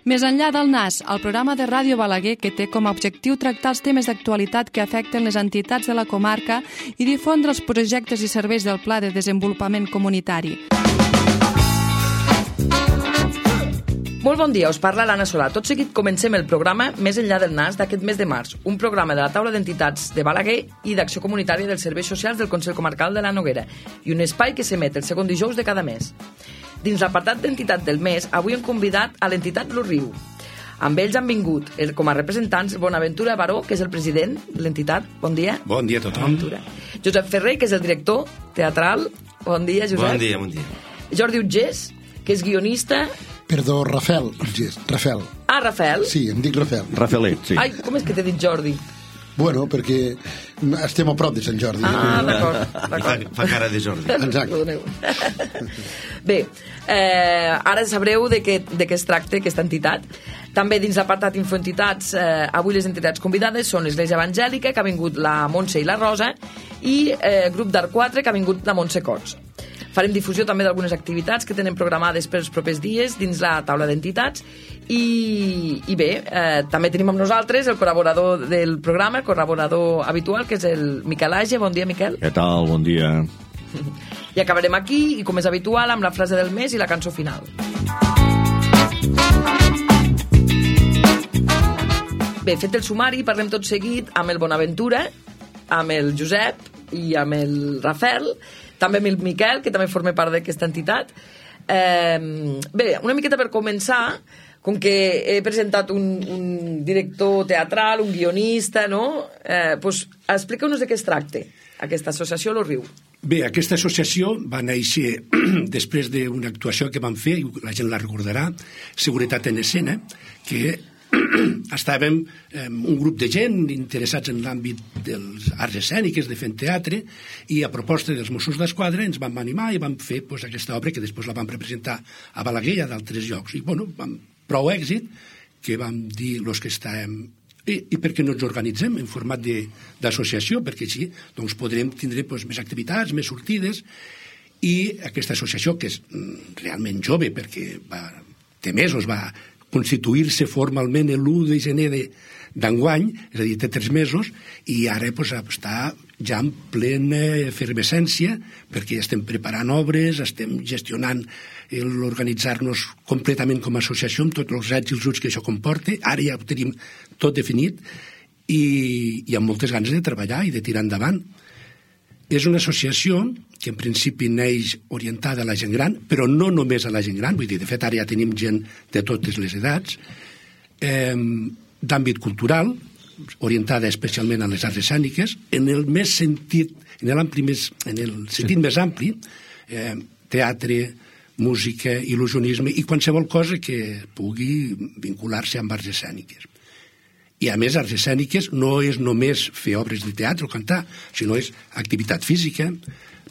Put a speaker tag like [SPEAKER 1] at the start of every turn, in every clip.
[SPEAKER 1] Més enllà del NAS, el programa de Ràdio Balaguer que té com a objectiu tractar els temes d'actualitat que afecten les entitats de la comarca i difondre els projectes i serveis del Pla de Desenvolupament Comunitari.
[SPEAKER 2] Molt bon dia, us parla l'Anna Solà. Tot seguit comencem el programa Més enllà del NAS d'aquest mes de març, un programa de la taula d'entitats de Balaguer i d'Acció Comunitària dels Serveis Socials del Consell Comarcal de la Noguera i un espai que s'emet el segon dijous de cada mes. Dins l'apartat d'entitat del mes, avui hem convidat a l'entitat Lo Riu. Amb ells han vingut com a representants Bonaventura Baró, que és el president de l'entitat. Bon dia.
[SPEAKER 3] Bon dia a tothom.
[SPEAKER 2] Josep Ferrer, que és el director teatral. Bon dia, Josep.
[SPEAKER 3] Bon dia, bon dia.
[SPEAKER 2] Jordi Utgés, que és guionista.
[SPEAKER 4] Perdó, Rafael.
[SPEAKER 2] Ah, Rafael?
[SPEAKER 4] Sí, em dic Rafael.
[SPEAKER 3] Rafaelet, sí.
[SPEAKER 2] Ai, com és que t'he dit Jordi?
[SPEAKER 4] Bueno, perquè estem a prop de Sant Jordi.
[SPEAKER 2] Ah, d'acord.
[SPEAKER 3] Fa cara de Jordi.
[SPEAKER 4] Exacte.
[SPEAKER 2] Bé, ara sabreu de què es tracta aquesta entitat. També dins l'apartat Infoentitats, avui les entitats convidades són l'Església Evangèlica, que ha vingut la Montse i la Rosa, i Grup d'Art 4, que ha vingut la Montse Cots. Farem difusió també d'algunes activitats que tenen programades per els propers dies dins la taula d'entitats i bé, també tenim amb nosaltres el col·laborador del programa, el col·laborador habitual, que és el Miquel Age. Bon dia, Miquel.
[SPEAKER 5] Què tal? Bon dia.
[SPEAKER 2] I acabarem aquí, i com és habitual, amb la frase del mes i la cançó final. Bé, fet el sumari, parlem tot seguit amb el Bonaventura, amb el Josep i amb el Rafael, també amb el Miquel, que també forma part d'aquesta entitat. Bé, una miqueta per començar, com que he presentat un director teatral, un guionista, no? Pues, explica-nos de què es tracta, aquesta associació Lo Riu.
[SPEAKER 3] Bé, aquesta associació va néixer després d'una actuació que vam fer, i la gent la recordarà, Seguretat en Escena, que estàvem un grup de gent interessats en l'àmbit dels arts escèniques, de fent teatre, i a proposta dels Mossos d'Esquadra ens vam animar i vam fer aquesta obra que després la vam representar a Balaguer i a d'altres llocs. I bueno, vam prou èxit que vam dir los que estàvem i per què no ens organitzem en format d'associació, perquè així doncs, podrem tindre més activitats, més sortides, i aquesta associació, que és realment jove perquè té mesos, va constituir-se formalment l'1 de gener d'enguany, és a dir, té 3 mesos, i ara està ja en plena efervescència, perquè estem preparant obres, estem gestionant l'organitzar-nos completament com a associació, amb tots els rets i els uts que això comporta. Ara ja ho tenim tot definit, i amb moltes ganes de treballar i de tirar endavant. És una associació que en principi neix orientada a la gent gran, però no només a la gent gran, vull dir, de fet ara ja tenim gent de totes les edats, d'àmbit cultural, orientada especialment a les arts escèniques, en el sentit més ampli, teatre, música, il·lusionisme i qualsevol cosa que pugui vincular-se amb arts escèniques. I a més, arts escèniques no és només fer obres de teatre o cantar, sinó és activitat física,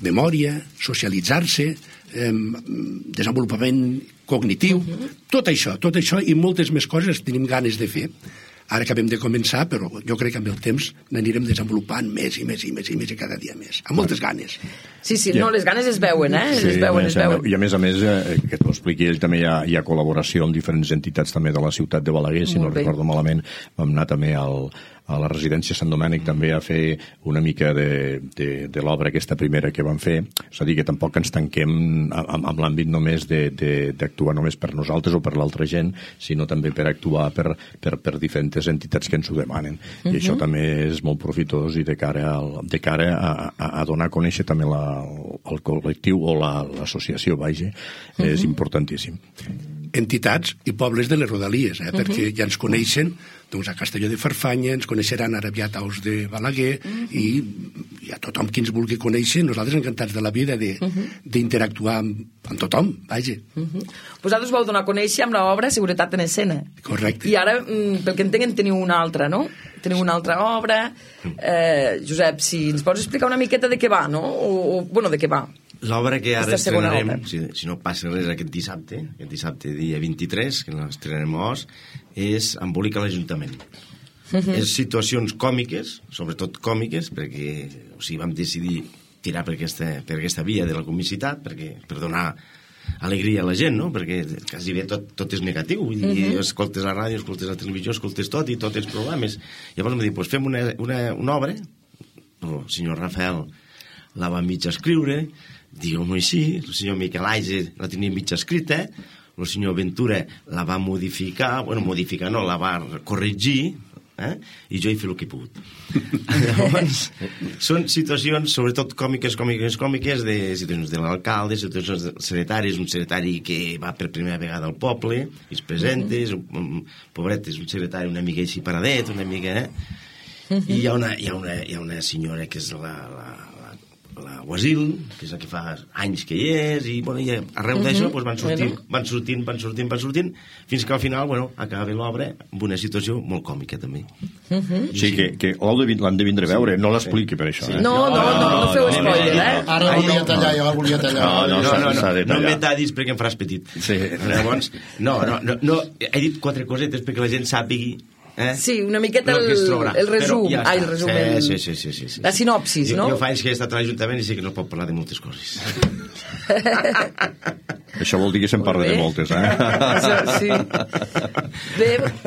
[SPEAKER 3] memòria, socialitzar-se, desenvolupament cognitiu, tot això i moltes més coses tenim ganes de fer. Ara acabem de començar, però jo crec que amb el temps n'anirem desenvolupant més i cada dia més, amb moltes ganes.
[SPEAKER 2] Sí, no, les ganes es veuen, es veuen.
[SPEAKER 5] I a més, que t'ho expliqui ell, també hi ha col·laboració amb diferents entitats també de la ciutat de Balaguer, si no recordo malament, vam anar també a la residència Sant Domènec també a fer una mica de l'obra aquesta primera que vam fer, és a dir, que tampoc ens tanquem amb l'àmbit només d'actuar només per nosaltres o per l'altra gent, sinó també per actuar per diferents entitats que ens ho demanen. I això també és molt profitós i de cara a donar a conèixer també el col·lectiu o l'associació, és importantíssim.
[SPEAKER 3] Entitats i pobles de les rodalies, perquè ja ens coneixen doncs, a Castelló de Farfanya, ens coneixeran ara aviat a Os de Balaguer, i a tothom qui ens vulgui conèixer, nosaltres encantats de la vida d'interactuar amb tothom, vaja.
[SPEAKER 2] Vosaltres vau donar a conèixer amb l'obra Seguretat en Escena.
[SPEAKER 3] Correcte.
[SPEAKER 2] I ara, pel que entenc, teniu una altra, no? Teniu una altra obra. Josep, si ens pots explicar una miqueta de què va, no? Bueno, de què va.
[SPEAKER 6] L'obra que ara estrenarem, si no passa res aquest dissabte dia 23, que l'estrenarem a Os, és Embolica a l'Ajuntament. És situacions còmiques, sobretot còmiques, perquè vam decidir tirar per aquesta via de la comicitat, per donar alegria a la gent, no? Perquè quasi bé tot és negatiu. Vull dir, escoltes la ràdio, escoltes la televisió, escoltes tot i tots els programes. Llavors em dic, doncs fem una obra. El senyor Rafael la va mig escriure, digueu-m'ho així, el senyor Miquel Aise la tenia mig escrita, el senyor Ventura la va modificar, no, la va corregir, i jo hi fer el que he pogut. Llavors, són situacions, sobretot còmiques, de situacions de l'alcalde, situacions de secretaris, un secretari que va per primera vegada al poble, i es presenta, pobret, és un secretari una mica així paradet, una mica... I hi ha una senyora que és la Guasil, que és la que fa anys que hi és, i arreu d'això van sortint, fins que al final acaba l'obra amb una situació molt còmica també.
[SPEAKER 5] Sí, que l'han de vindre a veure, no l'expliqui per això.
[SPEAKER 2] No feu spoiler,
[SPEAKER 4] Ara volia tallar.
[SPEAKER 6] No em metadis perquè em faràs petit. Llavors, he dit 4 cosetes perquè la gent sàpigui.
[SPEAKER 2] Sí, una miqueta el resum. El resum.
[SPEAKER 6] Sí.
[SPEAKER 2] La sinopsis, no?
[SPEAKER 6] Jo fa anys que he estat a l'Ajuntament i sé que no es pot parlar de moltes coses.
[SPEAKER 5] Això vol dir que se'n parla de moltes,
[SPEAKER 2] Sí.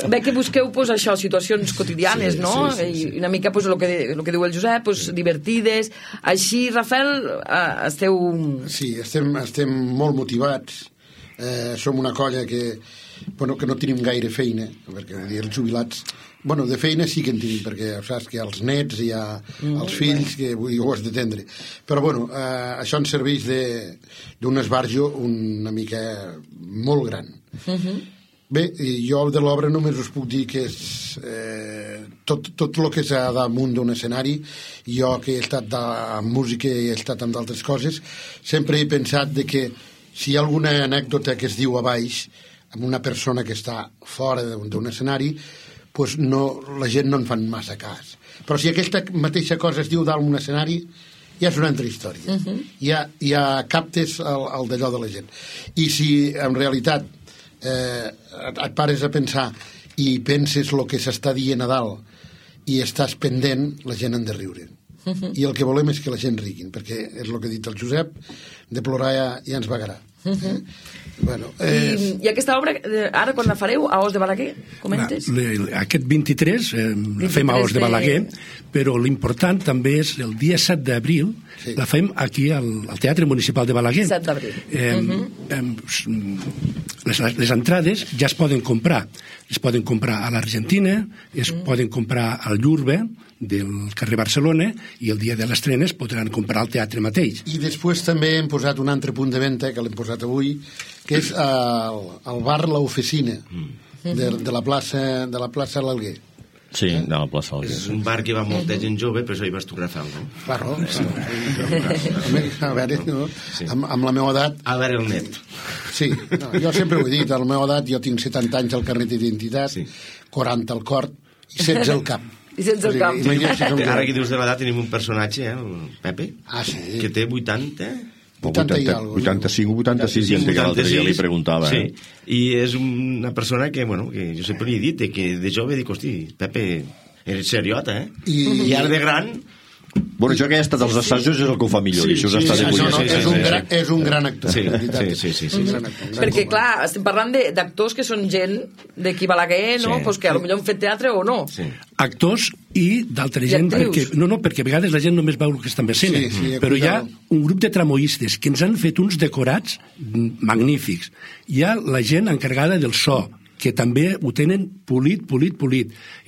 [SPEAKER 2] Bé que busqueu això, situacions quotidianes, no? I una mica el que diu el Josep, divertides. Així, Rafael, esteu...
[SPEAKER 4] Sí, estem molt motivats. Som una colla que no tenim gaire feina, perquè els jubilats de feina sí que en tenim, perquè saps que els nets hi ha els fills que ho has d'atendre, però això ens serveix d'un esbarjo una mica molt gran. Bé, jo de l'obra només us puc dir que és tot el que és damunt d'un escenari. Jo que he estat amb música i he estat amb d'altres coses, sempre he pensat que si hi ha alguna anècdota que es diu a baix amb una persona que està fora d'un escenari, la gent no en fan massa cas. Però si aquesta mateixa cosa es diu dalt d'un escenari, ja és una altra història. Ja captes el d'allò de la gent. I si en realitat et pares a pensar i penses el que s'està dient a dalt i estàs pendent, la gent han de riure. I el que volem és que la gent riguin, perquè és el que ha dit el Josep, de plorar ja ens vagarà.
[SPEAKER 2] I aquesta obra, ara quan la fareu a Os de Balaguer, comentes?
[SPEAKER 3] Aquest 23 la fem a Os de Balaguer, però l'important també és el dia 7 d'abril, la fem aquí al Teatre Municipal de Balaguer.
[SPEAKER 2] 7 d'abril.
[SPEAKER 3] Les entrades ja es poden comprar. Es poden comprar a l'Argentina, es poden comprar al Llurbe, del carrer Barcelona, i el dia de l'estrena es podran comprar al teatre mateix.
[SPEAKER 4] I després també hem posat un altre punt de venda, que l'hem posat avui, que és el bar L'Oficina, de la plaça l'Alguer.
[SPEAKER 5] Sí, de la plaça Alguer.
[SPEAKER 6] És un bar que va molta gent jove, però això hi vas tu, Rafael, no?
[SPEAKER 4] Claro. A veure, amb la meva edat...
[SPEAKER 6] A veure el net.
[SPEAKER 4] Sí, jo sempre ho he dit, a la meva edat jo tinc 70 anys al carnet d'identitat, 40 al cor i 16 al cap.
[SPEAKER 2] I sense el cap.
[SPEAKER 6] Ara que dius de l'edat tenim un personatge, el Pepe, que té 80...
[SPEAKER 5] 85 o 86, ja l'altre dia li preguntava.
[SPEAKER 6] Sí, i és una persona que jo sempre li he dit, que de jove dic, hosti, Pepe, eres seriota, I ara de gran...
[SPEAKER 5] Bueno, jo que he estat als assajos és el que ho fa millor, i això està de punyar.
[SPEAKER 4] És un gran actor.
[SPEAKER 6] Sí.
[SPEAKER 2] Perquè, clar, estem parlant d'actors que són gent d'aquí Balaguer, no? Que potser han fet teatre o no.
[SPEAKER 3] Actors i d'altra gent, perquè a vegades la gent només veu el que estan veient, però hi ha un grup de tramoistes que ens han fet uns decorats magnífics. Hi ha la gent encarregada del so, que també ho tenen polit,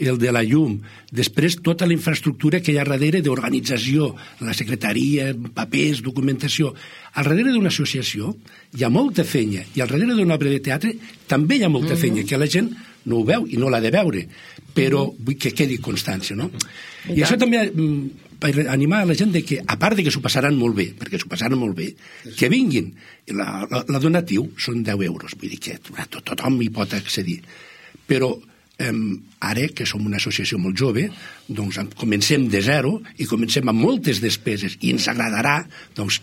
[SPEAKER 3] el de la llum, després tota la infraestructura que hi ha darrere d'organització, la secretaria, papers, documentació. Al darrere d'una associació hi ha molta feina, i al darrere d'una obra de teatre també hi ha molta feina, que la gent no ho veu i no l'ha de veure, però vull que quedi constància, no? I això també per animar a la gent que, a part de que s'ho passaran molt bé, perquè s'ho passaran molt bé, que vinguin. La donatiu són 10 euros, vull dir que tothom hi pot accedir. Però ara, que som una associació molt jove, doncs comencem de zero i comencem amb moltes despeses, i ens agradarà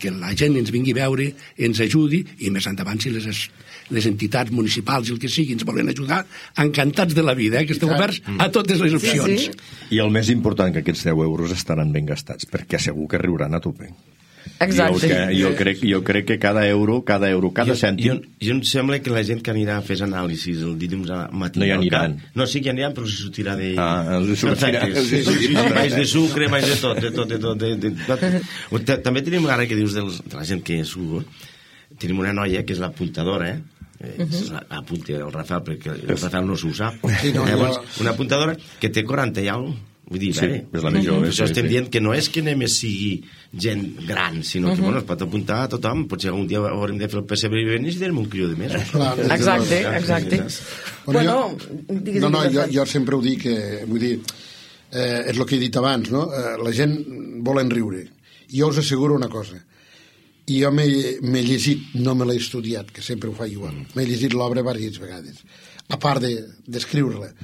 [SPEAKER 3] que la gent ens vingui a veure, ens ajudi, i més endavant si les entitats municipals i el que sigui ens volen ajudar, encantats de la vida, que esteu oberts a totes les opcions.
[SPEAKER 5] I el més important, que aquests 10 euros estaran ben gastats, perquè segur que riuran a tope.
[SPEAKER 2] Exacte.
[SPEAKER 5] Jo crec que cada euro, cada cèntim...
[SPEAKER 6] Jo em sembla que la gent que anirà a fer anàlisis el dilluns al matí...
[SPEAKER 5] No hi aniran.
[SPEAKER 6] No, sí que hi aniran, però s'hi sortirà de...
[SPEAKER 5] Els sortirà.
[SPEAKER 6] Baix de sucre, baix de tot. També tenim, ara que dius de la gent que surt, tenim una noia que és l'apuntadora, apunti el Rafael, perquè el Rafael no s'ho sap. Una apuntadora que té 40 i alguna cosa. Vull dir,
[SPEAKER 5] és la més jove.
[SPEAKER 6] Això estem dient que no és que només sigui gent gran, sinó que es pot apuntar a tothom. Potser algun dia haurem de fer el pessebre i venir i tenim un crió de més.
[SPEAKER 2] Exacte.
[SPEAKER 4] Jo sempre ho dic, vull dir, és el que he dit abans, no? La gent volen riure. Jo us asseguro una cosa. Jo m'he llegit, no me l'he estudiat, que sempre ho faig igual, m'he llegit l'obra diverses vegades, a part d'escriure-la.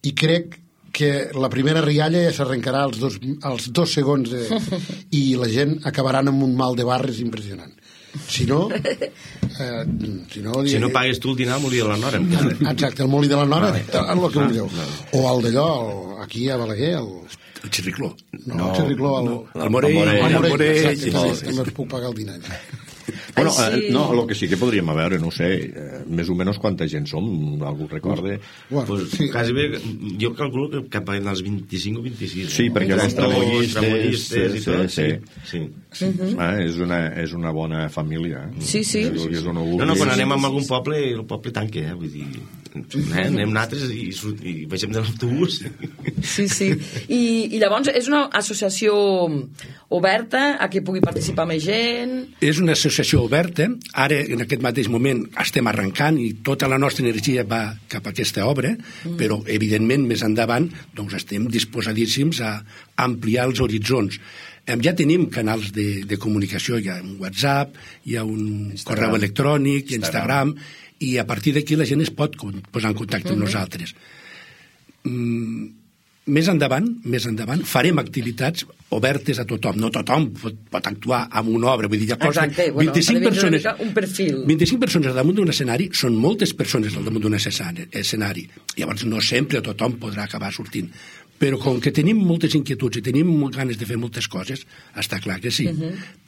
[SPEAKER 4] I crec que la primera rialla ja s'arrencarà als 2 segons i la gent acabaran amb un mal de barres impressionant. Si no
[SPEAKER 6] pagues tu el dinar al Molí de la Nora.
[SPEAKER 4] Exacte, el Molí de la Nora, el que vulgueu. O el d'allò, aquí a Balaguer,
[SPEAKER 3] el Xerricló.
[SPEAKER 4] No, el Xerricló,
[SPEAKER 3] el Morell.
[SPEAKER 4] També us puc pagar el dinar.
[SPEAKER 5] Bueno, no, el que sí que podríem veure, no sé, més o menys quanta gent som, algú recorde?
[SPEAKER 6] Quasi bé, jo calculo que cap als 25 o 26.
[SPEAKER 5] Sí, perquè els tramoyistes
[SPEAKER 6] i tot. Sí.
[SPEAKER 5] És una bona família.
[SPEAKER 2] Sí.
[SPEAKER 6] No, quan anem a algun poble, el poble tanca, vull dir... anem nosaltres i baixem de l'autobús.
[SPEAKER 2] Sí. I llavors és una associació oberta a que pugui participar més gent?
[SPEAKER 3] És una associació oberta. Ara, en aquest mateix moment, estem arrencant i tota la nostra energia va cap a aquesta obra, però, evidentment, més endavant doncs estem disposadíssims a ampliar els horitzons. Ja tenim canals de comunicació, hi ha un WhatsApp, hi ha un correu electrònic, Instagram, i a partir d'aquí la gent es pot posar en contacte amb nosaltres. Més endavant farem activitats obertes a tothom. No tothom pot actuar amb una obra. Vull dir, 25 persones,
[SPEAKER 2] un perfil.
[SPEAKER 3] 25 persones damunt d'un escenari són moltes persones al damunt d'un escenari. Llavors no sempre tothom podrà acabar sortint. Però com que tenim moltes inquietuds i tenim ganes de fer moltes coses, està clar que sí.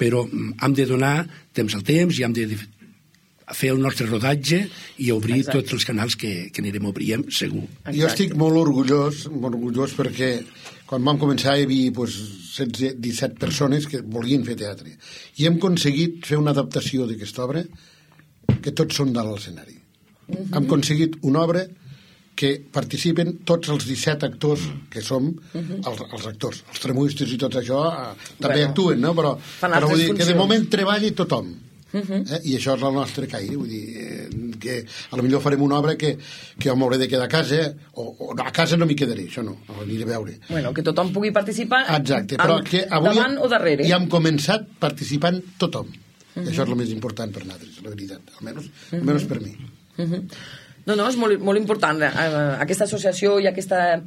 [SPEAKER 3] Però hem de donar temps al temps i hem de fer el nostre rodatge i obrir tots els canals que anirem obrint, segur.
[SPEAKER 4] Jo estic molt orgullós perquè quan vam començar hi havia 17 persones que volien fer teatre i hem aconseguit fer una adaptació d'aquesta obra que tots són dalt l'escenari. Hem aconseguit una obra que participen tots els 17 actors que som els actors. Els tramoistes i tot això també actuen, no? Però vull dir que de moment treballi tothom. I això és el nostre caire, vull dir que a lo millor farem una obra que jo m'hauré de quedar a casa o a casa no m'hi quedaré, això no, aniré a veure.
[SPEAKER 2] Bueno, que tothom pugui participar.
[SPEAKER 4] Exacte, però que avui
[SPEAKER 2] davant o darrere.
[SPEAKER 4] Ja hem començat participant tothom. Això és el més important per nosaltres, la veritat, almenys per mi.
[SPEAKER 2] No, és molt important aquesta associació i aquesta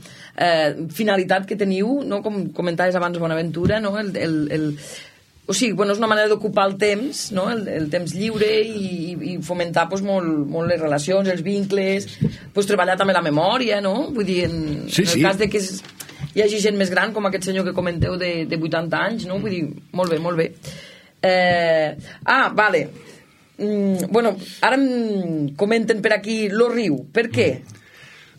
[SPEAKER 2] finalitat que teniu, no? Com comentaves abans Bonaventura, no? O sigui, és una manera d'ocupar el temps, no? El temps lliure i fomentar molt les relacions, els vincles, treballar també la memòria, no? Vull dir, en el cas de que hi hagi gent més gran, com aquest senyor que comenteu de 80 anys, no? Vull dir, molt bé. Vale. Ara em comenten per aquí Lo Riu. Per què?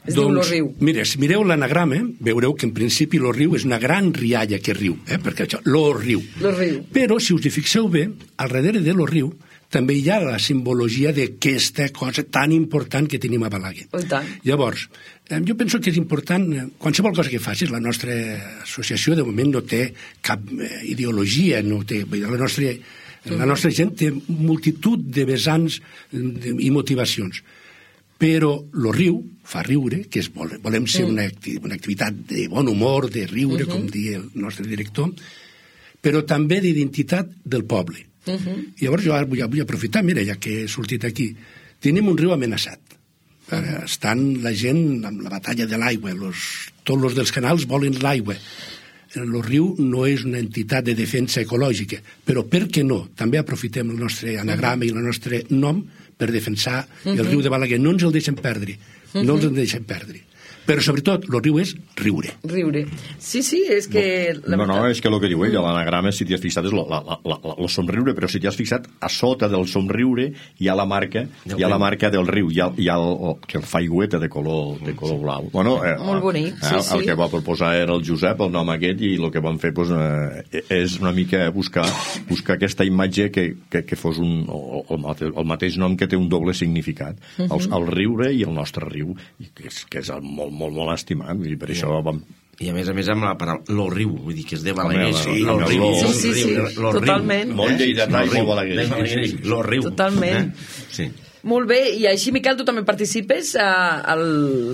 [SPEAKER 2] Es diu Lo Riu.
[SPEAKER 3] Mira, si mireu l'anagrama, veureu que en principi Lo Riu és una gran rialla que riu, perquè això, Lo Riu. Però, si us hi fixeu bé, al darrere de Lo Riu també hi ha la simbologia d'aquesta cosa tan important que tenim a Balaguer. Llavors, jo penso que és important, qualsevol cosa que facis, la nostra associació de moment no té cap ideologia, no té, la nostra gent té multitud de vessants i motivacions. Però Lo Riu fa riure, que volem ser una activitat de bon humor, de riure, com diu el nostre director, però també d'identitat del poble. Llavors jo ara vull aprofitar, mira, ja que he sortit aquí, tenim un riu amenaçat. Estan la gent amb la batalla de l'aigua, tots els dels canals volen l'aigua. El riu no és una entitat de defensa ecològica, però per què no? També aprofitem el nostre anagrama i el nostre nom per defensar el riu de Balaguer. No ens el deixem perdre, però sobretot el riu és riure.
[SPEAKER 2] Riure. Sí, és que...
[SPEAKER 5] No, és que el que diu ell, l'anagrama, si t'hi has fixat, és el somriure, però si t'hi has fixat, a sota del somriure hi ha la marca del riu, hi ha el faigüeta de color blau. Bueno,
[SPEAKER 2] molt bonic, sí.
[SPEAKER 5] El que va proposar era el Josep, el nom aquest, i el que van fer és una mica buscar aquesta imatge que fos el mateix nom, que té un doble significat. El riure i el nostre riu, que és molt, molt, molt estimat, i per això vam...
[SPEAKER 6] I a més amb la paraula lo riu, vull dir que és de Balaguer.
[SPEAKER 2] Sí, totalment.
[SPEAKER 5] Molt lleidatà i molt Balaguer.
[SPEAKER 6] Lo riu.
[SPEAKER 2] Totalment.
[SPEAKER 6] Sí.
[SPEAKER 2] Molt bé, i així, Miquel, tu també participes al...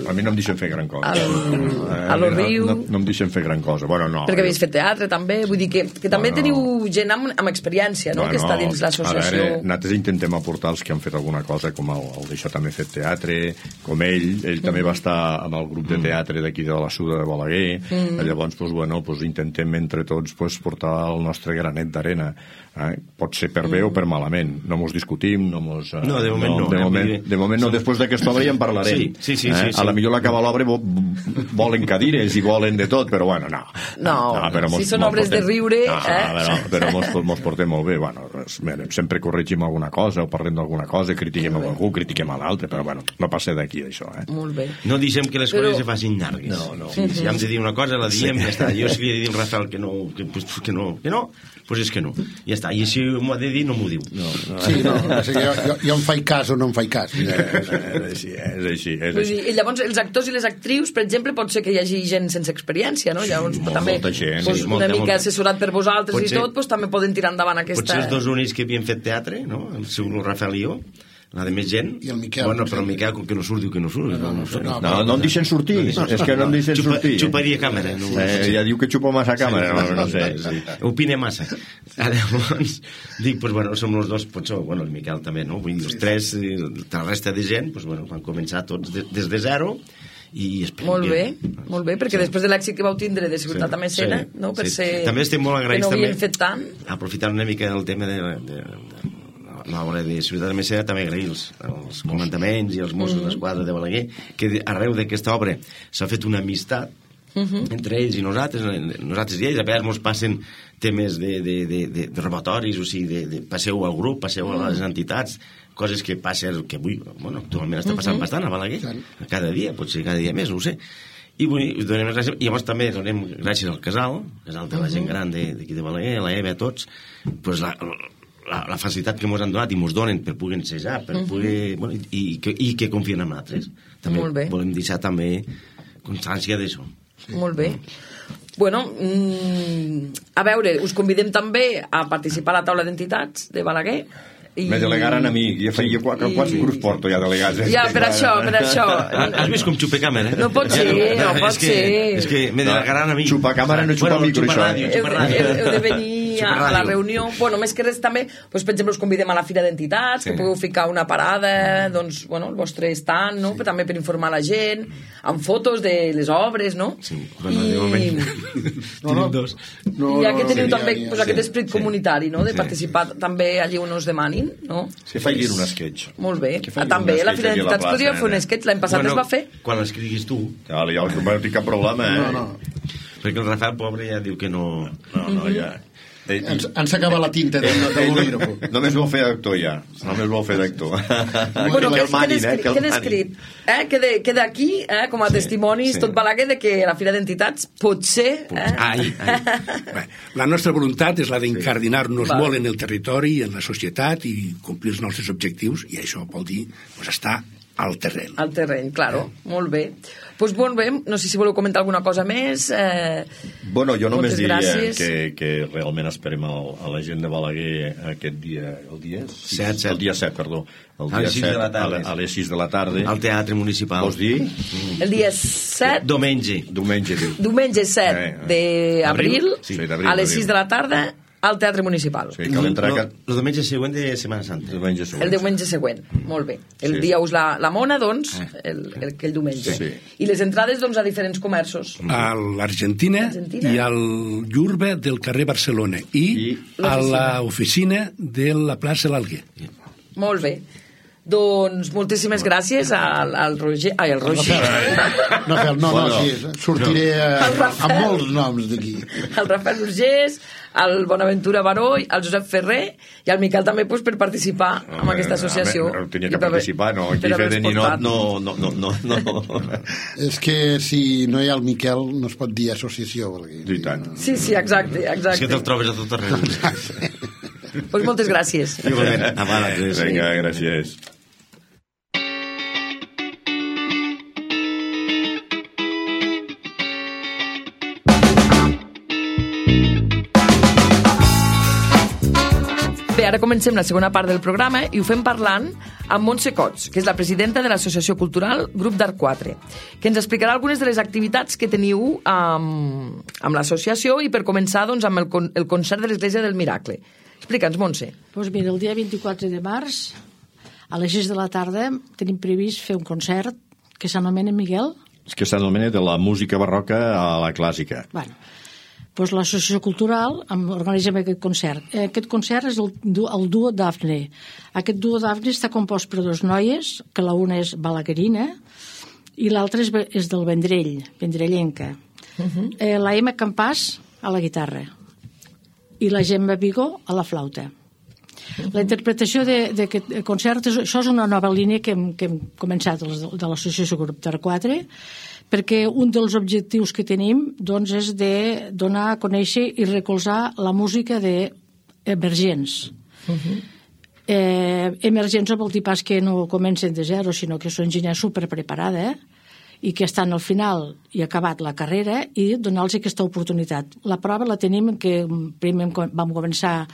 [SPEAKER 5] A mi no em deixen fer gran cosa.
[SPEAKER 2] A lo riu.
[SPEAKER 5] No em deixen fer gran cosa. Bueno, no.
[SPEAKER 2] Perquè havies fet teatre, també. Vull dir que també teniu gent amb experiència, no? Que està dins l'associació.
[SPEAKER 5] A veure, nosaltres intentem aportar els que han fet alguna cosa, com el d'això també ha fet teatre, com ell també va estar amb el grup de teatre d'aquí de la Suda de Balaguer. Llavors, intentem entre tots portar el nostre granet d'arena. Pot ser per bé o per malament. No mos discutim, no mos...
[SPEAKER 6] No, de moment no.
[SPEAKER 5] De moment no, després d'aquesta obra ja en parlarem.
[SPEAKER 6] Sí.
[SPEAKER 5] A la millor l'acaba l'obra volen cadires i volen de tot, però bueno, no.
[SPEAKER 2] Si són obres de riure...
[SPEAKER 5] Però mos portem molt bé. Bueno, sempre corregim alguna cosa o parlem d'alguna cosa, critiquem a algú, critiquem a l'altre, però bueno, no passa d'aquí això.
[SPEAKER 2] Molt bé.
[SPEAKER 6] No deixem que les coses se facin llargues. Si hem de dir una cosa, la diem, ja està. Jo si li he de dir al Rafael que no, doncs és que no. Ja està. I si m'ho ha de dir, no m'ho diu.
[SPEAKER 4] Sí, jo em faig cas o no em faig cas.
[SPEAKER 5] És així.
[SPEAKER 2] I llavors els actors i les actrius, per exemple, pot ser que hi hagi gent sense experiència, no? Llavors també una mica assessorat per vosaltres i tot, també poden tirar endavant aquesta...
[SPEAKER 6] Potser els dos únics que havien fet teatre, no? El seu Rafael i jo, la de més gent.
[SPEAKER 4] I el Miquel.
[SPEAKER 6] Bueno, però el Miquel, com que no surt, diu que no surt.
[SPEAKER 5] No em deixen sortir. És que no em deixen sortir.
[SPEAKER 6] Xuparia càmera.
[SPEAKER 5] Ja diu que xupa massa càmera. No sé.
[SPEAKER 6] Opina massa. Llavors, dic, som els dos, potser, el Miquel també, no? Vull dir, els tres, la resta de gent, van començar tots des de zero.
[SPEAKER 2] Molt bé, perquè després de l'èxit que vau tindre de Ciutat amb Escena, no? Per ser...
[SPEAKER 6] També estem molt agraïts,
[SPEAKER 2] que no havien fet tant.
[SPEAKER 6] Aprofitant una mica el tema de l'obra de Ciutat de Messera, també agrair els comandaments i els Mossos d'Esquadra de Balaguer, que arreu d'aquesta obra s'ha fet una amistat entre ells i nosaltres i ells. A vegades ens passen temes de robatoris, o sigui, passeu al grup, passeu a les entitats, coses que passen, que avui, actualment està passant bastant a Balaguer, cada dia, potser cada dia més, no ho sé. I donem gràcies, i llavors també donem gràcies al casal de la gent gran d'aquí de Balaguer, a la Eva, a tots, la facilitat que ens han donat i ens donen per poder ensejar, per poder, i que confien en nosaltres. També volem deixar també constància d'això.
[SPEAKER 2] Molt bé. Bueno, a veure, us convidem també a participar a la taula d'entitats de Balaguer.
[SPEAKER 5] Me delegaren a mi, quants grups porto ja delegats?
[SPEAKER 2] Ja, per això.
[SPEAKER 6] Has vist com xupa càmera?
[SPEAKER 2] No pot ser.
[SPEAKER 6] És que me delegaran a mi.
[SPEAKER 5] Xupa càmera no xupa micro, això.
[SPEAKER 2] Heu de venir a la reunió. Bueno, més que res també, per exemple, us convidem a la Fira d'Entitats, que pugueu ficar una parada, doncs, el vostre stand, no? També per informar la gent, amb fotos de les obres, no?
[SPEAKER 6] Sí, de moment.
[SPEAKER 2] Ja que teniu també aquest esperit comunitari, no? De participar també allí on us demanin, no?
[SPEAKER 5] Que facin un sketch.
[SPEAKER 2] Molt bé. També a la Fira d'Entitats podria fer un sketch, l'any passat es va fer.
[SPEAKER 6] Quan l'escriguis tu.
[SPEAKER 5] Ja no tinc cap problema,
[SPEAKER 6] Perquè el Rafael, pobre, ja diu que no...
[SPEAKER 5] No, ja...
[SPEAKER 4] Ens acaba la tinta de bolígrafo.
[SPEAKER 5] Només vol fer d'actor ja. Només vol fer d'actor.
[SPEAKER 2] Bueno, queda escrit. Queda aquí com a testimonis tot Balaguer de que la Fira d'Entitats potser...
[SPEAKER 3] La nostra voluntat és la d'incardinar-nos molt en el territori i en la societat i complir els nostres objectius, i això vol dir estar al terreny.
[SPEAKER 2] Al terreny, claro. Molt bé. Doncs molt bé, no sé si voleu comentar alguna cosa més.
[SPEAKER 5] Bueno, jo només diria que realment esperem a la gent de Balaguer aquest dia, el dia 7, perdó. El dia 7 a les 6 de la tarda.
[SPEAKER 6] Al Teatre Municipal.
[SPEAKER 5] Vols dir?
[SPEAKER 2] El dia 7... Diumenge 7 d'abril, a les 6 de la tarda, al Teatre Municipal.
[SPEAKER 5] Sí, cal entrar...
[SPEAKER 6] El diumenge següent de Setmana Santa.
[SPEAKER 2] El diumenge següent, molt bé. El dia us la mona, doncs, aquell diumenge.
[SPEAKER 5] Sí.
[SPEAKER 2] I les entrades, doncs, a diferents comerços.
[SPEAKER 3] A l'Argentina i al Llurbe del carrer Barcelona i a l'oficina de la plaça L'Alguer.
[SPEAKER 2] Molt bé. Doncs moltíssimes gràcies al Roger. Ai, al Roger.
[SPEAKER 4] Sí, sortiré amb molts noms d'aquí.
[SPEAKER 2] Al Rafael Urgés, al Bonaventura Baró, al Josep Ferrer i al Miquel també per participar en aquesta associació.
[SPEAKER 5] Tenia que participar, no? Aquí fer de ninot no.
[SPEAKER 2] És
[SPEAKER 4] que si no hi ha el Miquel no es pot dir associació.
[SPEAKER 5] I tant.
[SPEAKER 2] Sí, exacte.
[SPEAKER 6] És que te'l trobes a tot arreu.
[SPEAKER 2] Doncs moltes gràcies.
[SPEAKER 5] Vinga, gràcies.
[SPEAKER 2] Bé, ara comencem la segona part del programa i ho fem parlant amb Montse Cots, que és la presidenta de l'Associació Cultural Grup d'Art 4, que ens explicarà algunes de les activitats que teniu amb l'associació i per començar doncs, amb el concert de l'Església del Miracle. Explica'ns, Montse.
[SPEAKER 7] Doncs mira, el dia 24 de març, a les 6 de la tarda, tenim previst fer un concert que s'anomena Miguel.
[SPEAKER 5] És que s'anomena de la música barroca a la clàssica.
[SPEAKER 7] Bueno, doncs l'Associació Cultural organitzem aquest concert. Aquest concert és el duo Dafne. Aquest duo Dafne està compost per dues noies, que la una és balaguerina i l'altra és del Vendrell, vendrellenca. La Emma Campàs a la guitarra i la Gemma Vigo a la flauta. La interpretació d'aquest concert, això és una nova línia que hem començat de l'Associació Grup d'Art 4, perquè un dels objectius que tenim doncs, és de donar a conèixer i recolzar la música d'emergents. Emergents no vol dir pas que no comencen de zero, sinó que són gent superpreparada i que estan al final i acabat la carrera i donar-los aquesta oportunitat. La prova la tenim que primer vam començar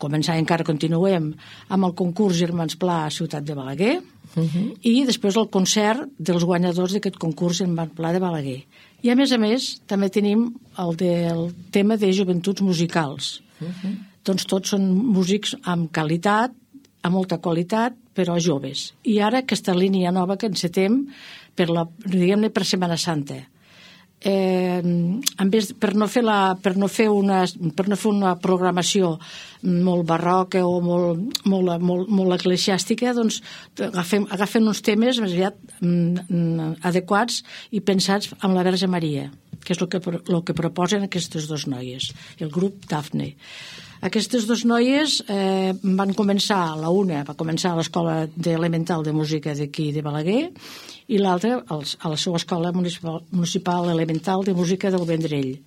[SPEAKER 7] i encara continuem amb el concurs Germans Pla a Ciutat de Balaguer i després el concert dels guanyadors d'aquest concurs Germans Pla de Balaguer. I a més també tenim el del tema de joventuts musicals. Doncs tots són músics amb qualitat, amb molta qualitat, però joves. I ara aquesta línia nova que encetem per Setmana Santa. Per no fer una programació molt barroca o molt eclesiàstica, doncs agafem uns temes més aviat adequats i pensats amb la Verge Maria, que és el que proposen aquestes dues noies, el grup Dafne. Aquestes dues noies van començar, la una va començar a l'Escola Elemental de Música d'aquí de Balaguer i l'altra a la seva Escola Municipal Elemental de Música del Vendrell.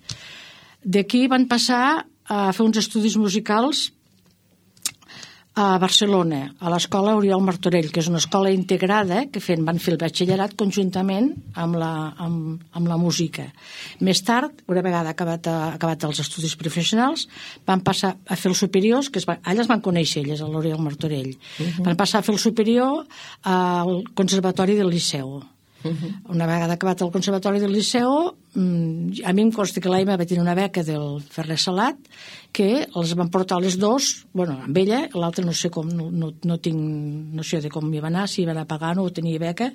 [SPEAKER 7] D'aquí van passar a fer uns estudis musicals a Barcelona, a l'Escola Oriol Martorell, que és una escola integrada que van fer el batxillerat conjuntament amb la música. Més tard, una vegada acabat els estudis professionals, van passar a fer els superiors, allà es van conèixer, elles, a l'Oriol Martorell. Van passar a fer el superior al Conservatori del Liceu. Una vegada acabat el Conservatori del Liceu, a mi em consta que l'Aima va tenir una beca del Ferrer Salat, que els van portar les dos, amb ella, l'altra no sé com, no tinc noció de com hi va anar, si hi va anar pagant o tenia beca,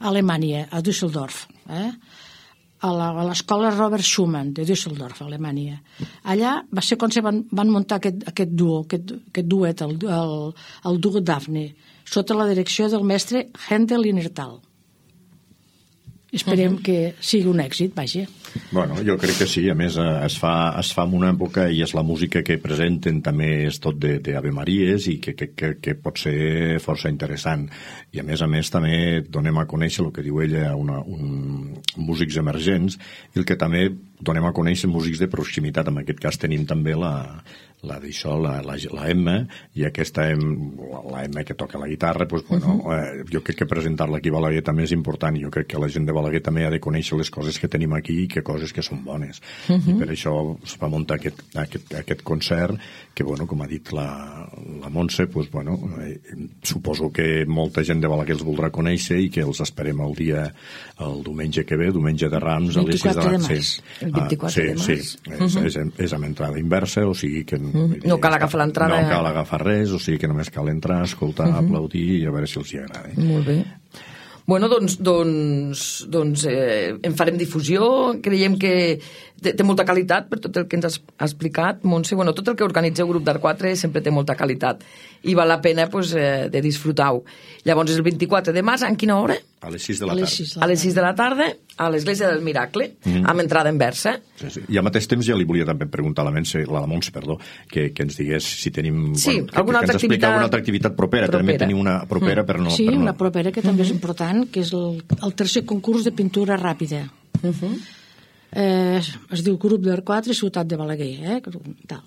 [SPEAKER 7] a Alemanya, a Düsseldorf, a l'escola Robert Schumann de Düsseldorf, a Alemanya. Allà va ser quan van muntar aquest duet, el duo Dafne, sota la direcció del mestre Händel Linnertal. Esperem que sigui un èxit, vaja.
[SPEAKER 5] Bueno, jo crec que sí, a més es fa en una època i és la música que presenten també és tot d'Ave Maries i que pot ser força interessant. I a més també donem a conèixer el que diu ella, músics emergents, i el que també donem a conèixer músics de proximitat. En aquest cas tenim també la Emma, i aquesta la Emma que toca la guitarra, jo crec que presentar-la aquí a Balaguer també és important. Jo crec que la gent de Balaguer també ha de conèixer les coses que tenim aquí i que coses que són bones. I per això es va muntar aquest concert que, com ha dit la Montse, suposo que molta gent de Balaguer els voldrà conèixer i que els esperem el diumenge que ve, diumenge de Rams, a les 6 de la tarda.
[SPEAKER 2] El 24 de març.
[SPEAKER 5] Sí, és amb entrada inversa, o sigui que
[SPEAKER 2] no cal agafar l'entrada.
[SPEAKER 5] No cal agafar res, o sigui que només cal entrar, escoltar, aplaudir i a veure si els hi agrada.
[SPEAKER 2] Molt bé. Bueno, doncs en farem difusió. Creiem que té molta qualitat per tot el que ens has explicat, Montse. Bueno, tot el que organitza el grup d'Art 4 sempre té molta qualitat i val la pena pues, de disfrutar-ho. Llavors és el 24 de març, en quina hora?
[SPEAKER 5] A les 6 de la tarda.
[SPEAKER 2] A les 6 de la tarda, a l'Església del Miracle, amb entrada en versa.
[SPEAKER 5] Sí. I al mateix temps ja li volia també preguntar a la Montse, que ens digués si tenim...
[SPEAKER 2] Sí,
[SPEAKER 5] alguna altra activitat... alguna altra activitat propera. També tenim una propera per no...
[SPEAKER 7] Sí, una propera que també és important, que és el tercer concurs de pintura ràpida. Es diu Grup d'Art 4 Ciutat de Balaguer. Tal.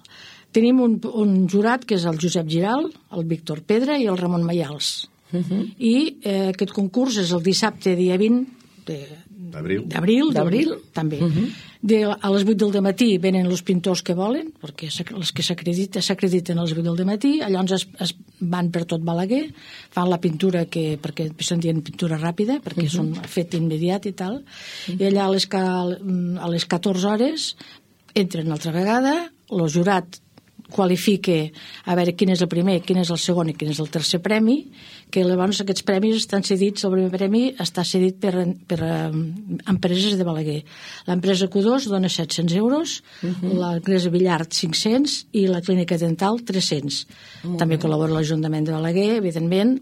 [SPEAKER 7] Tenim un jurat que és el Josep Giral, el Víctor Pedra i el Ramon Mayals. I aquest concurs és el dissabte dia 20 d'abril també. A les 8 del matí venen els pintors que volen, perquè els que s'acrediten a les 8 del matí, llavors es van per tot Balaguer, fan la pintura perquè se'n diuen pintura ràpida, perquè són fet immediat i tal, i allà a les 14 hores entren altra vegada, el jurat qualifica a veure quin és el primer, quin és el segon i quin és el tercer premi, que llavors aquests premis estan cedits, el primer premi està cedit per empreses de Balaguer. L'empresa Q2 dona 700 euros, l'empresa Villard 500 i la clínica dental 300. També col·labora l'Ajuntament de Balaguer, evidentment,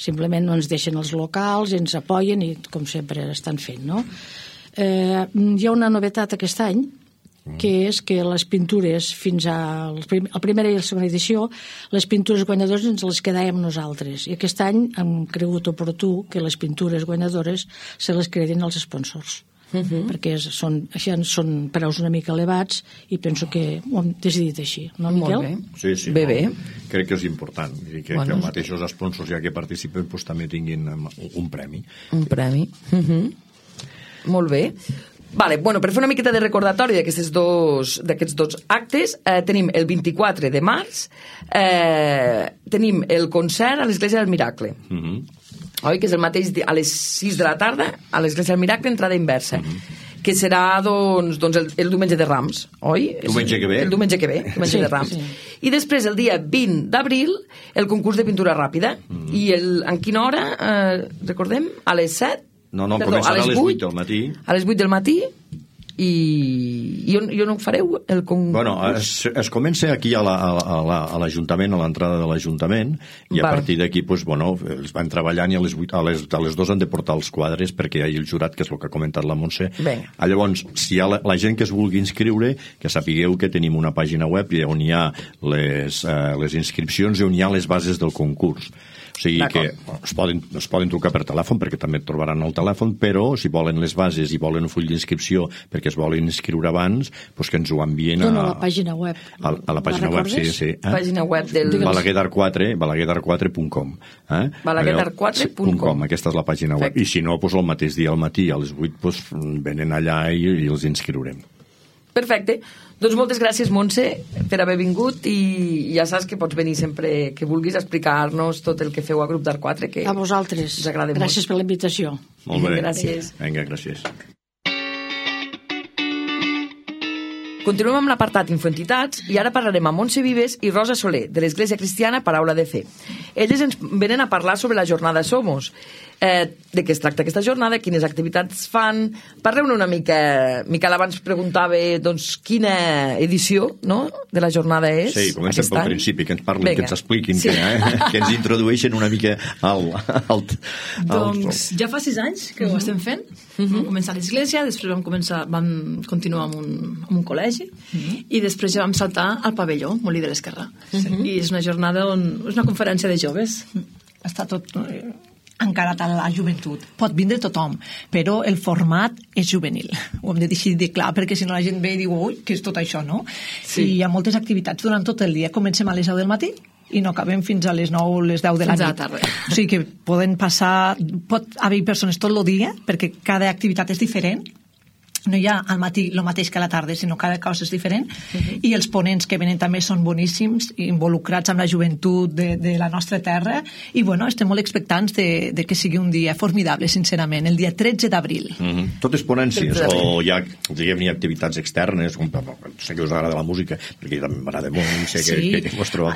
[SPEAKER 7] simplement no ens deixen els locals i ens apoyen i com sempre estan fent, no? Hi ha una novetat aquest any, que és que les pintures fins a la primera i la segona edició, les pintures guanyadores ens les quedàvem nosaltres, i aquest any hem cregut oportú que les pintures guanyadores se les credin als sponsors, perquè són preus una mica elevats i penso que ho hem decidit així, no, Miquel?
[SPEAKER 5] Sí,
[SPEAKER 2] bé.
[SPEAKER 5] Crec que és important que els mateixos sponsors ja que participen també tinguin un premi.
[SPEAKER 2] Un premi. Molt bé. Vale, bueno, per fer una miqueta de recordatori d'aquests dos actes, tenim el 24 de març, tenim el concert a l'Església del Miracle, oi? Que és el mateix a les 6 de la tarda, a l'Església del Miracle, entrada inversa, que serà doncs el diumenge de Rams, oi?
[SPEAKER 5] Diumenge que ve.
[SPEAKER 2] El diumenge que ve, diumenge de Rams. I després, el dia 20 d'abril, el concurs de pintura ràpida. I en quina hora, recordem? A les 7?
[SPEAKER 5] No, començarà a les 8 del matí.
[SPEAKER 2] A les 8 del matí i on ho fareu?
[SPEAKER 5] Bueno, es comença aquí a l'Ajuntament, a l'entrada de l'Ajuntament, i a partir d'aquí els van treballant i a les 2 han de portar els quadres perquè hi ha el jurat, que és el que ha comentat la Montse. Llavors, si hi ha la gent que es vulgui inscriure, que sapigueu que tenim una pàgina web on hi ha les inscripcions i on hi ha les bases del concurs. O sigui que es poden trucar per telèfon, perquè també et trobaran el telèfon, però si volen les bases i volen un full d'inscripció perquè es volen inscriure abans, doncs que ens ho envien
[SPEAKER 7] a la pàgina web.
[SPEAKER 5] A la pàgina web, sí.
[SPEAKER 2] Pàgina web del...
[SPEAKER 5] balaguerdart4.com.
[SPEAKER 2] balaguerdart4.com.
[SPEAKER 5] Aquesta és la pàgina web. I si no, el mateix dia al matí, a les 8, venen allà i els inscriurem.
[SPEAKER 2] Perfecte. Doncs moltes gràcies, Montse, per haver vingut, i ja saps que pots venir sempre que vulguis a explicar-nos tot el que feu a Grup d'Art 4, que
[SPEAKER 7] a vosaltres.
[SPEAKER 2] Us agrada molt.
[SPEAKER 7] Gràcies per la invitació.
[SPEAKER 5] Molt bé.
[SPEAKER 2] Gràcies.
[SPEAKER 5] Vinga, gràcies.
[SPEAKER 2] Continuem amb l'apartat Infoentitats i ara parlarem amb Montse Vives i Rosa Soler, de l'Església Cristiana Paraula de Fe. Elles ens venen a parlar sobre la jornada Somos. De què es tracta aquesta jornada, quines activitats fan. Parleu-ne una mica. Miquel abans preguntava quina edició de la jornada és.
[SPEAKER 5] Sí, comencem pel principi, que ens parlin, que ens expliquin, que ens introdueixen una mica
[SPEAKER 8] Doncs ja fa 6 anys que ho estem fent. Vam començar a l'església, després vam continuar amb un col·legi i després ja vam saltar al pavelló, Molí de l'Esquerra. I és una jornada és una conferència de joves. Està tot encarat a la joventut. Pot vindre tothom, però el format és juvenil. Ho hem de decidir clar, perquè si no la gent ve i diu, ui, què és tot això, no? Sí. I hi ha moltes activitats durant tot el dia. Comencem a les 10 del matí i no acabem fins a les 9 o les 10 de la nit. O sigui que pot haver persones tot el dia, perquè cada activitat és diferent. No hi ha al matí el mateix que a la tarda, sinó cada cosa és diferent, i els ponents que venen també són boníssims, involucrats amb la joventut de la nostra terra, i estem molt expectants de que sigui un dia formidable, sincerament, el dia 13 d'abril.
[SPEAKER 5] Totes ponències, o hi ha, diguem-ne, activitats externes, sé que us agrada la música, perquè també m'agrada molt, sé que us trobeu,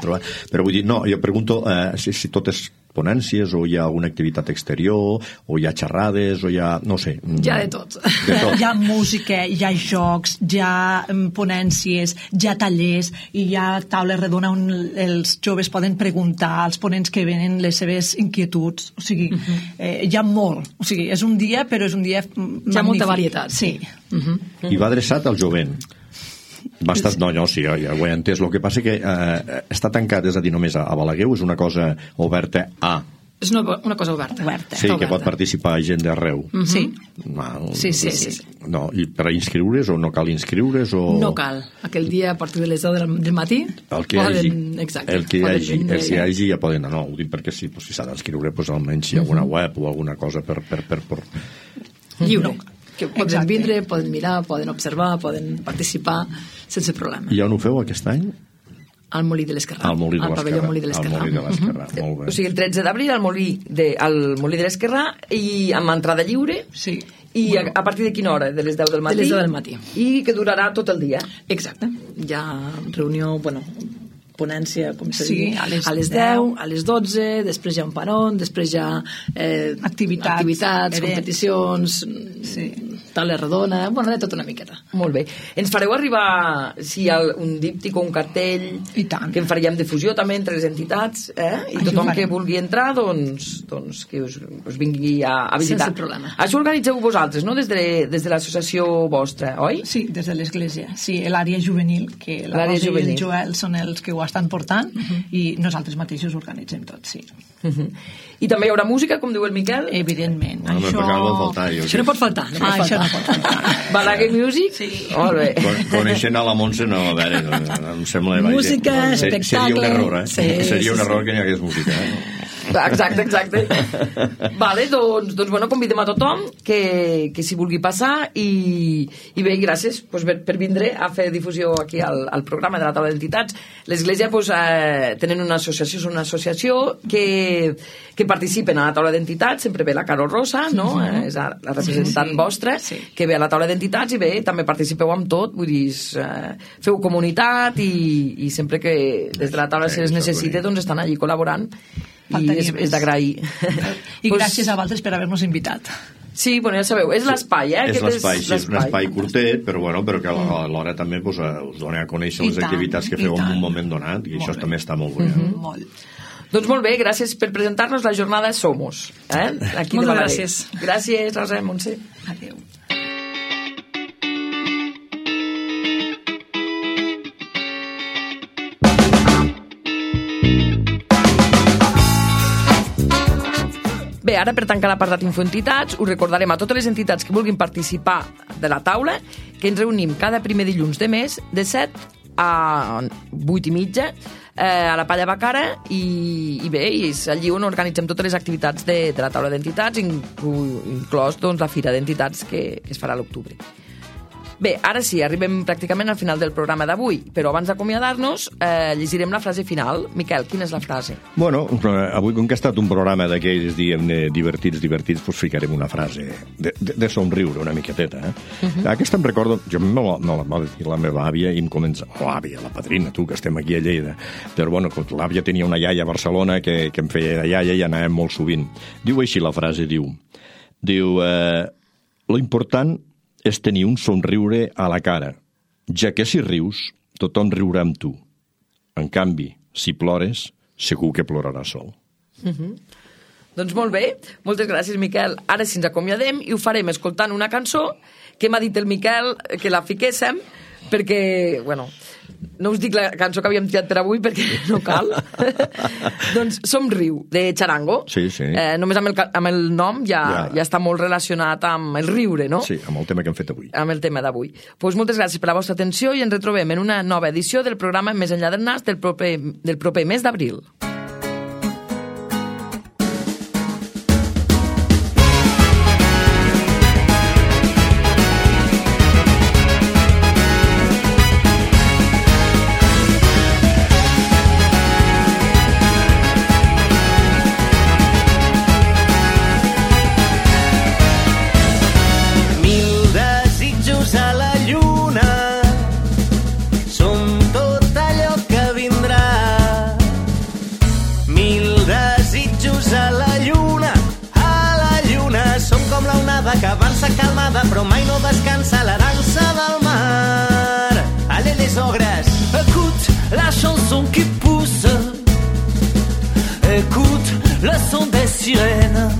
[SPEAKER 5] però vull dir, no, jo pregunto si totes ponències, o hi ha alguna activitat exterior, o hi ha xerrades, o hi ha... no sé.
[SPEAKER 8] Hi ha de tot.
[SPEAKER 9] Hi ha música, hi ha jocs, hi ha ponències, hi ha tallers, i hi ha taula redona on els joves poden preguntar als ponents que venen les seves inquietuds. O sigui, hi ha molt. O sigui, és un dia, però és un dia magnífic.
[SPEAKER 8] Hi ha molta varietat.
[SPEAKER 9] Sí.
[SPEAKER 5] I va adreçat al jovent. Sí, ja ho he entès. El que passa que està tancat, és a dir, només a Balaguer, o és una cosa oberta a...
[SPEAKER 8] És una cosa oberta.
[SPEAKER 5] Sí, que pot participar gent d'arreu.
[SPEAKER 8] Sí.
[SPEAKER 5] Sí. No, i per inscriure's o no cal inscriure's? O...
[SPEAKER 8] No cal. Aquell dia, a partir de les 10 del matí,
[SPEAKER 5] el que hi hagi ja poden anar. Ho dic perquè si s'ha d'inscriure, almenys hi ha alguna web o alguna cosa per...
[SPEAKER 8] Lliure. Que poden vindre, poden mirar, poden observar, poden participar sense problema.
[SPEAKER 5] I on ho feu aquest any?
[SPEAKER 8] Al Molí de l'Esquerrà. Al pavelló Molí de l'Esquerrà.
[SPEAKER 5] Molt bé.
[SPEAKER 2] O sigui, el 13 d'abril al Molí de l'Esquerrà, i amb entrada lliure.
[SPEAKER 8] Sí.
[SPEAKER 2] I a partir de quina hora? De les 10 del matí?
[SPEAKER 8] De les 10 del matí.
[SPEAKER 2] I que durarà tot el dia?
[SPEAKER 8] Exacte. Hi ha reunió, ponència, com s'ha dit, a les 10, a les 12, després hi ha un peron, després hi ha activitats, competicions, taula redona, de tot una miqueta.
[SPEAKER 2] Molt bé. Ens fareu arribar, si hi ha un díptic o un cartell, que en faríem difusió també entre les entitats, i tothom que vulgui entrar, doncs que us vingui a visitar.
[SPEAKER 8] Sense problema.
[SPEAKER 2] Això organitzeu vosaltres, no? Des de l'associació vostra, oi?
[SPEAKER 9] Sí, des de l'església. Sí, l'àrea juvenil, que la Rosa i el Joel són els que ho estan portant, i nosaltres mateixos organitzem tot, sí.
[SPEAKER 2] I també hi haurà música, com diu el Miquel?
[SPEAKER 9] Evidentment.
[SPEAKER 8] Això no pot faltar.
[SPEAKER 9] Això no pot faltar.
[SPEAKER 2] Balaguer Music?
[SPEAKER 9] Sí.
[SPEAKER 2] Molt bé.
[SPEAKER 5] Coneixent a la Montse, no, a veure, em sembla...
[SPEAKER 8] Música, espectacle...
[SPEAKER 5] Seria un error, seria un error que n'hi hagués música,
[SPEAKER 2] Exacte. Vale, doncs convidem a tothom que s'hi vulgui passar, i bé, gràcies per vindre a fer difusió aquí al programa de la taula d'entitats. L'Església tenen una associació, és una associació que participen a la taula d'entitats. Sempre ve la Carol Rosa, no? És la representant vostra, que ve a la taula d'entitats, i bé, també participeu amb tot, vull dir, feu comunitat, i sempre que des de la taula se les necessite, doncs estan allí col·laborant, i és d'agrair.
[SPEAKER 9] I gràcies a vosaltres per haver-nos invitat.
[SPEAKER 2] Sí, ja sabeu, és l'espai,
[SPEAKER 5] És l'espai, sí, és un espai curtet, però que alhora també us dona a conèixer les activitats que feu en un moment donat, i això també està molt bé.
[SPEAKER 2] Doncs molt bé, gràcies per presentar-nos la jornada Somos.
[SPEAKER 8] Moltes gràcies.
[SPEAKER 2] Gràcies, Rosa, Montse.
[SPEAKER 9] Adéu.
[SPEAKER 2] Bé, ara per tancar l'apartat Infoentitats, us recordarem a totes les entitats que vulguin participar de la taula que ens reunim cada primer dilluns de mes de 7 a 8:30 a la Palla Bacara, i bé, és allí on organitzem totes les activitats de la taula d'entitats, inclòs la fira d'entitats que es farà a l'octubre. Bé, ara sí, arribem pràcticament al final del programa d'avui, però abans d'acomiadar-nos llegirem la frase final. Miquel, quina és la frase?
[SPEAKER 5] Bueno, avui, com que ha estat un programa d'aquells, diguem-ne, divertits, doncs ficarem una frase de somriure una miqueteta. Aquesta em recordo, jo me la va dir la meva àvia, i em comença, l'àvia, la padrina, tu, que estem aquí a Lleida. Però bueno, l'àvia tenia una iaia a Barcelona que em feia de iaia i anàvem molt sovint. Diu així la frase, diu, lo important és tenir un somriure a la cara, ja que si rius, tothom riurà amb tu. En canvi, si plores, segur que ploraràs sol.
[SPEAKER 2] Doncs molt bé, moltes gràcies, Miquel. Ara sí ens acomiadem, i ho farem escoltant una cançó que m'ha dit el Miquel que la fiquéssim, perquè, no us dic la cançó que havíem triat per avui perquè no cal. Doncs Somriu, de Charango.
[SPEAKER 5] Sí.
[SPEAKER 2] Només amb el nom ja està molt relacionat amb el riure, no?
[SPEAKER 5] Sí, amb el tema que hem fet avui.
[SPEAKER 2] Amb el tema d'avui. Doncs moltes gràcies per la vostra atenció, i ens retrobem en una nova edició del programa Més enllà del nas del proper mes d'abril.
[SPEAKER 10] calmada, que avança calmada, però mai no descansa la dansa del mar. Allez les ogres!
[SPEAKER 11] Écoute la chanson qui pousse, écoute le son des sirènes.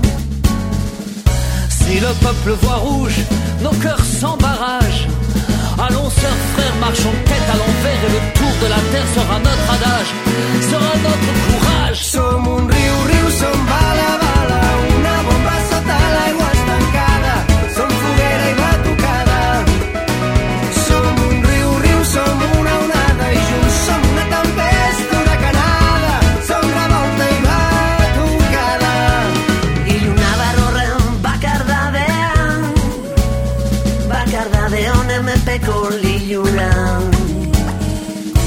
[SPEAKER 11] Si le peuple voit rouge, nos cœurs sans barrage. Allons sœurs, frères, marchons tête à l'envers et le tour de la terre sera notre adage, sera notre courage.
[SPEAKER 10] Som un riu, riu, som bala, bala, una bomba sota l'aigua estancada, som foguera i batucada. Som un riu, riu, som una onada i junts som una tempesta huracanada, som revolta i batucada.
[SPEAKER 11] Y una barrora va cardar de on me pecó l'illurant.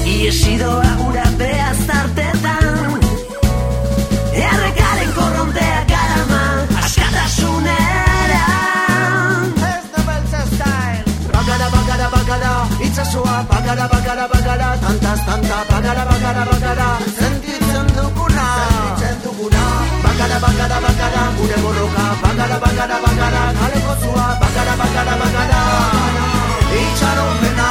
[SPEAKER 11] I he sido ahora de estarte tan e arregaren corronte a carama askatasuneran.
[SPEAKER 10] Ez da beltza style. Bagara, bagara, bagara, itxasua, bagara, bagara, bagara, tantaz, tanta, bagara, bagara, bagara, sentitzen duguna. Bagara, bagara, bagara, gure borroka, bagara, bagara, bagara, kaleko zua, bagara, bagara, bagara, itxaropena.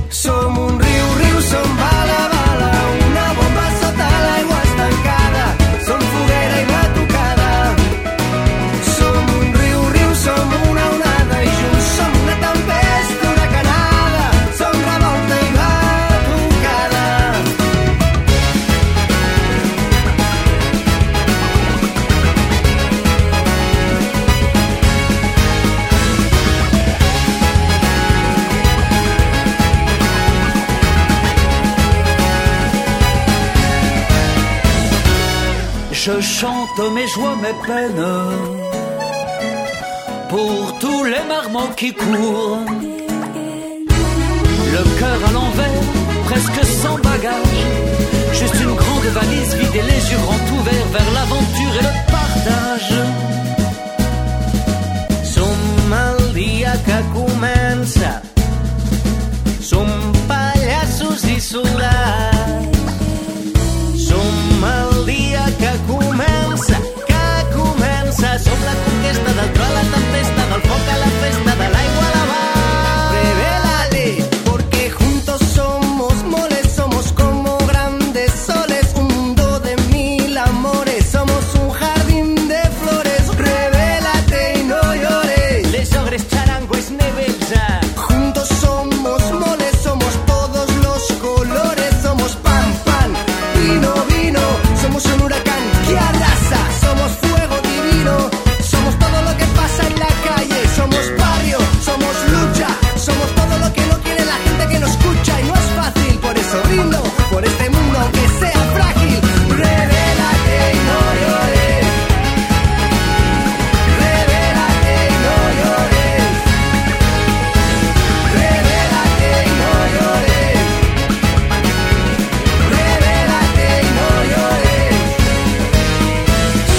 [SPEAKER 10] Som un riu, riu, som bala, bala, una bomba sota l'aigua estancada, som foguera i batucada. Som un riu, riu, som una onada i junts som una tempesta huracanada, som revolta i batucada.
[SPEAKER 11] Je chante mes joies, mes peines, pour tous les marmots qui courent. Le cœur à l'envers, presque sans bagage, juste une grande valise vide et les yeux grands ouverts vers l'aventure et le partage.
[SPEAKER 10] Som el dia que comença, som pallassos i soldats. Som el dia que comença, som la conquesta del tro a la tempesta, del foc a la festa, de l'aigua a la mar. Revélale, porque juntos somos moles, somos como grandes soles, un mundo de mil amores, somos un jardín de flores. Revélate y no llores.
[SPEAKER 11] Les ogres, charangos, nebelsa.
[SPEAKER 10] Juntos somos moles, somos todos los colores, somos pan, pan, vino, vino, somos un huracán que arrasa, somos fuego divino, somos todo lo que pasa en la calle, somos barrio, somos lucha, somos todo lo que no quiere la gente que nos escucha y no es fácil, por eso brindo por este mundo aunque sea frágil. Revélate y no llores. Revélate y no llores. Revélate y no llores. Revélate y no llores.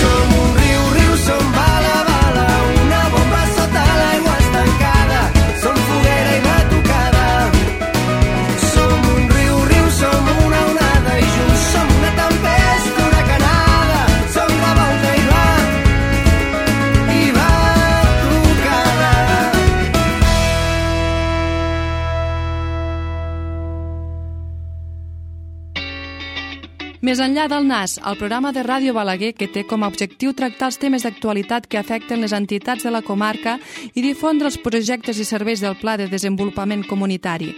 [SPEAKER 10] Som un riu, riu, som bala, bala, una bomba sota l'aigua estancada, som foguera i batucada. Som un riu, riu, som una onada i junts som una tempesta huracanada, som revolta i batucada.
[SPEAKER 1] Més enllà del NAS, el programa de Ràdio Balaguer que té com a objectiu tractar els temes d'actualitat que afecten les entitats de la comarca i difondre els projectes i serveis del Pla de Desenvolupament Comunitari.